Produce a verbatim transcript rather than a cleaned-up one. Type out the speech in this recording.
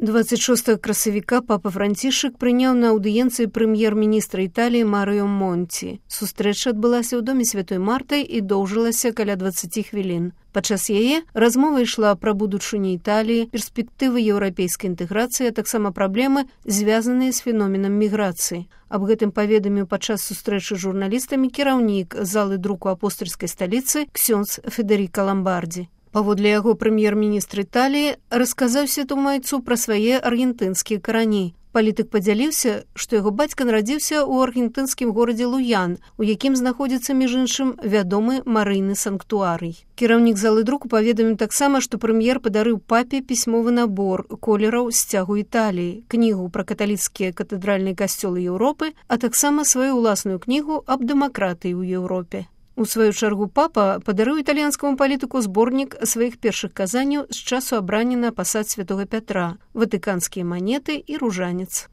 двадцать шостага красавіка папа Францішак прыняў на аўдыенцыі прэм'ер-міністра Італіі Марыё Монці. Сустрэча адбылася ў доме Святой Марты і доўжылася каля дваццаці хвілін. Падчас яе размова ішла пра будучыню Італіі, перспектывы еўрапейскай інтэграцыі, а таксама праблемы, звязаныя з феноменам міграцыі. Аб гэтым паведаміў падчас сустрэчы з журналістамі кіраўнік залы друку апостальскай сталіцы ксёндз Федэріка Ламбардзі. Паводле яго прэм'ер-міністр Італіі расказаў святому пра свае аргентынскія карані. Палітык падзяліўся, што яго бацька нарадзіўся ў аргентынскім горадзе Луян, у якім знаходзіцца, між іншым, вядомы марыйны санктуарый. Кіраўнік залы друку паведаміў таксама, што прэм'ер падарыў папе пісьмовы набор колераў сцягу Італіі, кнігу пра каталіцкія катэдральныя касцёлы Еўропы, а таксама сваю ўласную кнігу аб дэмакратыі ў Еўропе. У сваю чаргу папа падарыў італьянскаму палітыку зборнік сваіх першых казанняў з часу абрання на пасад святога Пятра, ватыканскія манеты і ружанец.